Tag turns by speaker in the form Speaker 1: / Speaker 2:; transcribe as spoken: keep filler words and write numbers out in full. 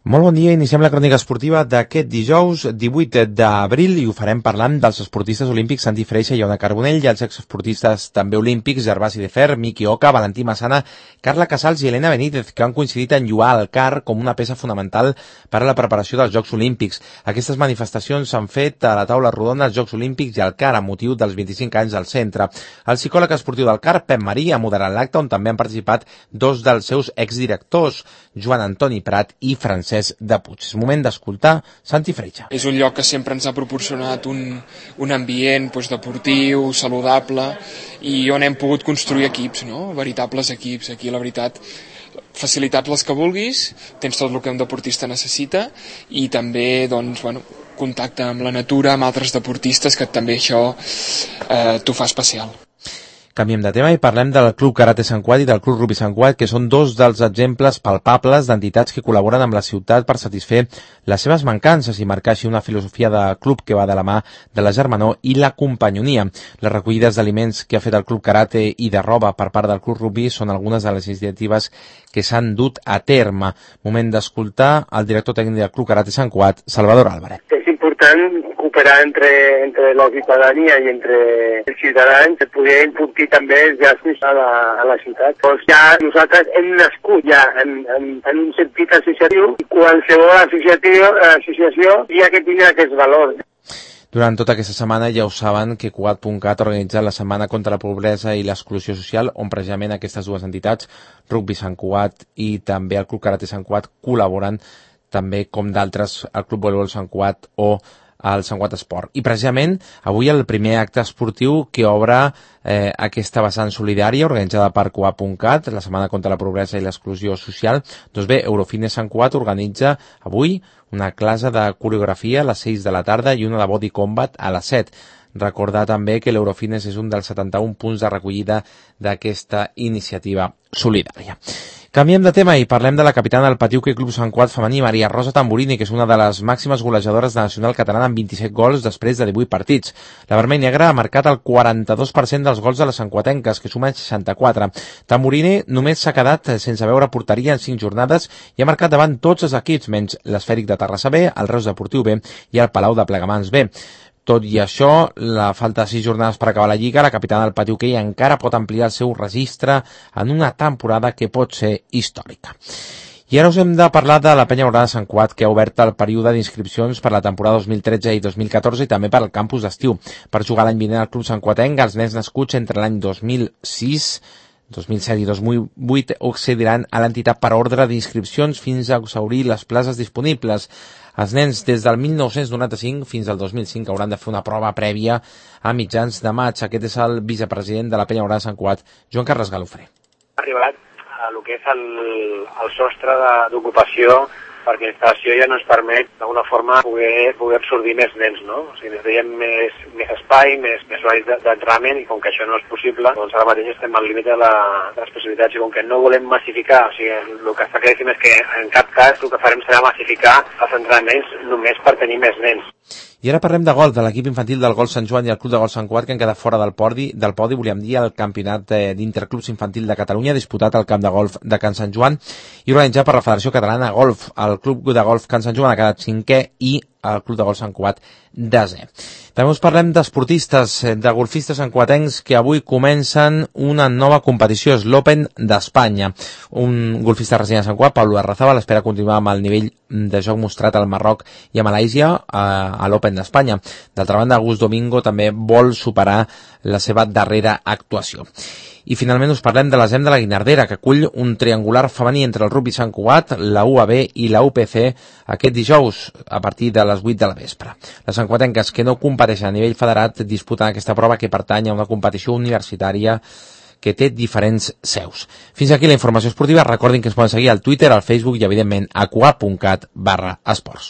Speaker 1: Molt bon dia, iniciem la crònica esportiva d'aquest dijous divuit d'abril i ho farem parlant dels esportistes olímpics Santi Freixa i Ona Carbonell i els exesportistes també olímpics Gervasi de Fer, Miki Oka, Valentí Massana, Carla Casals i Elena Benítez, que han coincidit en lloar el car com una peça fonamental per a la preparació dels Jocs Olímpics. Aquestes manifestacions s'han fet a la taula rodona dels Jocs Olímpics i al car a motiu dels vint-i-cinc anys del centre. El psicòleg esportiu del car, Pep Marí, ha moderat l'acte on també han participat dos dels seus exdirectors, Joan Antoni Prat i Francesc de Puig. És moment d'escoltar Santi Freixa.
Speaker 2: És un lloc que sempre ens ha proporcionat un, un ambient doncs, deportiu, saludable, i on hem pogut construir equips, no? Veritables equips. Aquí, la veritat, facilitats les que vulguis, tens tot el que un deportista necessita, i també doncs, bueno, contacte amb la natura, amb altres deportistes, que també això eh, t'ho fa especial.
Speaker 1: Canviem de tema i parlem del Club Karate Sant Cugat i del Club Rugby Sant Cugat, que són dos dels exemples palpables d'entitats que col·laboren amb la ciutat per satisfer les seves mancances i marcar així una filosofia de club que va de la mà de la germanor i la companyonia. Les recollides d'aliments que ha fet el Club Karate i de roba per part del Club Rugby són algunes de les iniciatives que s'han dut a terme. Moment d'escoltar el director tècnic del Club Karate Sant Cugat, Salvador Álvarez.
Speaker 3: És important cooperar entre, entre la ciutadania i entre els ciutadans per poder enfortir també els llaços a la, a la ciutat. Doncs ja nosaltres hem nascut ja en, en, en un sentit associatiu i qualsevol associació, associació hi ha que tindre aquests valors.
Speaker 1: Durant tota aquesta setmana ja ho saben que Cugat punt cat ha organitzat la Setmana contra la Pobresa i l'Exclusió Social, on precisament aquestes dues entitats, Rugby Sant Cugat i també el Club Karate Sant Cugat, col·laboren també com d'altres el Club Voleibol Sant Cugat o el Sant Cugat Esport. I precisament avui el primer acte esportiu que obre eh, aquesta vessant solidària organitzada per Cugat punt cat, la Setmana contra la Pobresa i l'Exclusió Social. Doncs bé, Eurofitness Sant Cugat organitza avui una classe de coreografia a les sis de la tarda i una de body combat a les set. Recordar també que l'Eurofitness és un dels setanta-un punts de recollida d'aquesta iniciativa solidària. Canviem de tema i parlem de la capitana del Patiu Club Sant Cugat femení, Maria Rosa Tamburini, que és una de les màximes golejadores de nacional catalana amb vint-i-set gols després de divuit partits. La vermell negra ha marcat el quaranta-dos per cent dels gols de les santcuatenques, que sumen seixanta-quatre. Tamburini només s'ha quedat sense veure porteria en cinc jornades i ha marcat davant tots els equips, menys l'Esfèric de Terrassa B, el Reus Deportiu B i el Palau de Plegamans B. Tot i això, la falta de sis jornades per acabar la Lliga, la capitana del Patiu Hoquei encara pot ampliar el seu registre en una temporada que pot ser històrica. I ara us hem de parlar de la Penya Blaugrana de Sant Cugat, que ha obert el període d'inscripcions per la temporada dos mil tretze i dos mil catorze i també per al campus d'estiu. Per jugar l'any vinent al Club Sant Cuatenc, els nens nascuts entre l'any dos mil sis, dos mil set i dos mil vuit accediran a l'entitat per ordre d'inscripcions fins a exhaurir les places disponibles. Els nens des del mil nou-cents noranta-cinc fins al dos mil cinc hauran de fer una prova prèvia a mitjans de maig. Aquest és el vicepresident de la Penya Blaugrana de Sant Cugat, Joan Carles Galofré.
Speaker 4: Ha arribat a lo que és el, el sostre d'ocupació, perquè la instal·lació ja no ens permet d'alguna forma poder, poder absorbir més nens, no? O sigui, necessitem més, més espai, més, més horaris d'entrenament, i com que això no és possible, doncs ara mateix estem al límit de, la, de les possibilitats, i com que no volem massificar, o sigui, el que està claríssim és que en cap cas el que farem serà massificar els entrenaments només per tenir més nens.
Speaker 1: I ara parlem de golf, de l'equip infantil del Golf Sant Joan i el Club de Golf Sant Cugat, que han quedat fora del podi, del podi, volíem dir, el campionat d'interclubs infantil de Catalunya, disputat al camp de golf de Can Sant Joan i organitzat per la Federació Catalana de Golf. El Club de Golf Can Sant Joan ha quedat cinquè i el Club de Golf Sant Cugat desè. També us parlem d'esportistes, de golfistes santcuatencs que avui comencen una nova competició, és l'Open d'Espanya. Un golfista resident de Sant Cugat, Pablo Arrazabal, espera continuar amb el nivell de joc mostrat al Marroc i a Malàisia a l'Open d'Espanya. D'altra banda, Gus Domingo també vol superar la seva darrera actuació. I finalment us parlem de l'A S E M de la Guinardera, que acull un triangular femení entre el Rugby Sant Cugat, la U A B i la U P C aquest dijous a partir de les vuit de la vespre. Les santcuatenques que no competeixen a nivell federat disputen aquesta prova que pertany a una competició universitària que té diferents seus. Fins aquí la informació esportiva. Recordin que ens poden seguir al Twitter, al Facebook i, evidentment, a cugat punt cat barra esports.